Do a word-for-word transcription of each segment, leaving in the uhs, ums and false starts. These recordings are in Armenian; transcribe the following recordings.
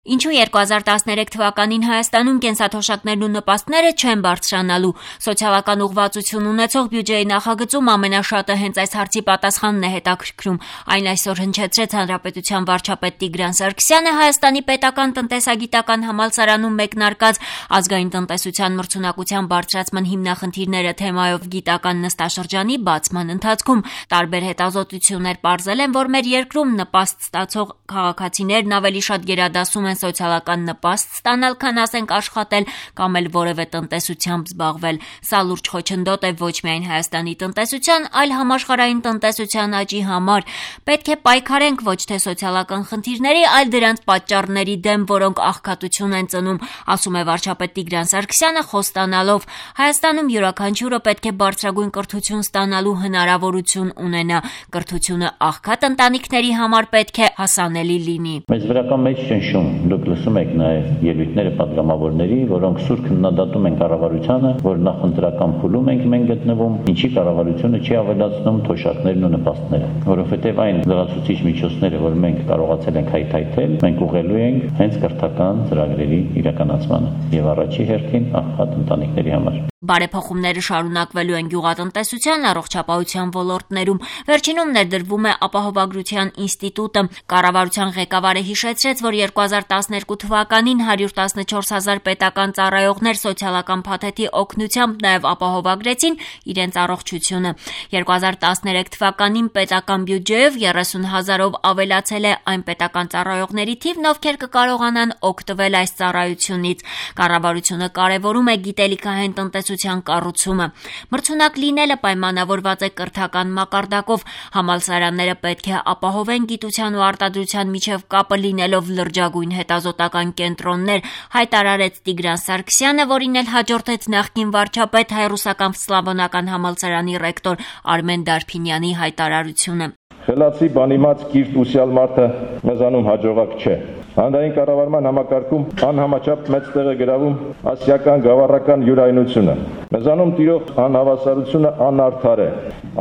Ինչու երկու հազար տասներեք թվականին Հայաստանում կենսաթոշակներն ու նպաստները չեն բարձրանալու։ Սոցիալական ուղղվածություն ունեցող բյուջեի նախագծում ամենաշատը հենց այս հարցի պատասխանն է հետաքրքրում։ Այն այսօր հնչեցրեց Հանրապետության վարչապետ Տիգրան Սարգսյանը Հայաստանի պետական տնտեսագիտական համալսարանում մեկնարկած ազգային տնտեսության մրցունակության բարձրացման հիմնախնդիրները թեմայով գիտական նստաշրջանի բացման ընթացքում տարբեր հետազոտություններ պարզել են, որ մեր երկրում նպաստ ստացող քաղաքացիներն ավելի շատ գերադասում են սոցիալական նպաստ ստանալ, քան ասենք աշխատել կամ էլ որևէ տնտեսությամբ զբաղվել։ Սա լուրջ խոչընդոտ է ոչ միայն Հայաստանի տնտեսության, այլ համաշխարհային տնտեսության աճի համար։ Պետք է պայքարենք ոչ թե սոցիալական խնդիրների, այլ դրանց պատճառների դեմ, որոնք աղքատություն են ծնում, ասում է վարչապետ Տիգրան Սարգսյանը խոստանալով. Հայաստանում յուրաքանչյուրը պետք է բարձրագույն կրթություն ստանալու հնարավորություն ունենա։ Կրթությունը աղքատ ընտանիքների համար պետք է հասանելի լինի։ Մեծ վրական մեջ ճնշում Դուք լսում եք նաև ելույթները պատգամավորների, որոնք սուր քննադատում են կառավարությանը, որ նախընտրական փուլում ենք մենք գտնվում, ինչի կառավարությունը չի ավելացնում թոշակներն ու նպաստները, որովհետև այն լրացուցիչ միջոցները, որ մենք կարողացել ենք հայթայթել, մենք ուղղելու ենք հենց կրթական ծրագրերի իրականացմանը եւ առաջի հերթին աղքատ ընտանիքների համար։ Բարեփոխումները շարունակվելու են գյուղատնտեսության, առողջապահության ոլորտներում։ Վերջինում ներդրվում է ապահովագրության ինստիտուտը։ Կառավարության ղեկավարը հիշեցրեց, որ երկու հազար տասներկու թվականին հարյուր տասնչորս հազար պետական ծառայողներ սոցիալական փաթեթի օգնությամբ նաև ապահովագրեցին իրենց առողջությունը։ երկու հազար տասներեք թվականին պետական բյուջեով երեսուն հազարով ավելացել է այն պետական ծառայողների թիվն, ովքեր կկարողանան օգտվել այս ծառայությունից։ Կառավարությունը կարևորում է գիտելիքահեն տնտեսության կառուցումը։ Մրցունակ լինելը պայմանավորված է կրթական մակարդակով։ Համալսարանները պետք է ապահովեն գիտության ու արտադրության միջև կապը լինելով լրջագույն հետազոտական կենտրոններ, հայտարարեց Տիգրան Սարգսյանը, որին էլ հաջորդեց նախկին վարչապետ Հայ-ռուսական Սլավոնական համալսարանի ռեկտոր Արմեն Դարփինյանի հայտարարությունը։ Խելացի բանիմաց կիրթ ուսյալ մարդը մեզանում հաջողակ չէ։ Հանրային կառավարման համակարգում անհամաչափ մեծ տեղ է գրավում ասիական գավառական յուրայնությունը։ Մեզանում տիրող անհավասարությունը անարդար է,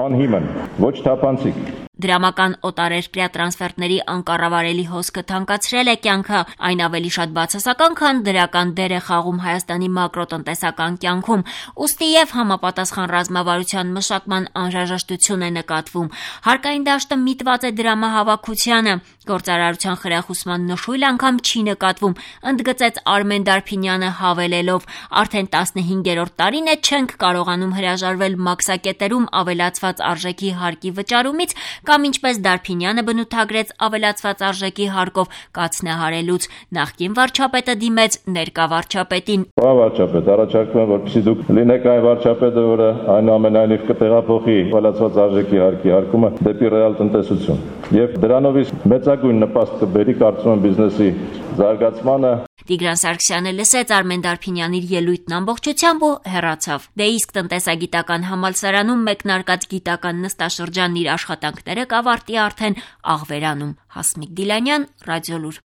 անհիմն, ոչ թափանցիկ։ Դրամական օտարերկրյա տրանսֆերտների անկառավարելի հոսքը թանկացրել է կյանքը, այն ավելի շատ բացասական, քան դրական դեր է խաղում Հայաստանի մակրոտնտեսական կյանքում, ուստի եւ համապատասխան ռազմավարության մշակման անհրաժեշտություն է նկատվում։ Հարկային դաշտը միտված է դրամահավաքությանը, գործարարության խրախուսման նշույլ անգամ չի նկատվում, ընդգծեց Արմեն Դարփինյանը հավելելով. արդեն տասնհինգերորդ տարին է չենք կարողանում հրաժարվել մաքսակետերում ավելացված արժեքի հարկի վճարումից, կամ ինչպես Դարփինյանը բնութագրեց ավելացված արժեքի հարկով կացնահարելուց։ Նախկին վարչապետը դիմեց ներկա վարչապետին. Պարոն վարչապետ, առաջարկում եմ, որպեսզի դուք լինեք այն վարչապետը, որը այնուամենայնիվ կտեղափոխի ավելացված արժեքի հարկի հարկումը դեպի ռեալ տնտեսություն եւ դրանով իսկ մեծագույն նպաստ կբերի, կարծում եմ, բիզնեսի զարգացմանը։ Տիգրան Սարգսյանը լսեց Արմեն Դարփինյանի ելույթն ամբողջությամբ ու հեռացավ։ Դե իսկ տնտեսագիտական համալսարանում մեկնարկած գիտական նստաշրջանն իր աշխատանքները կավարտի արդեն Աղվերանում։ Հասմիկ Դիլանյան, Ռադիոլուր։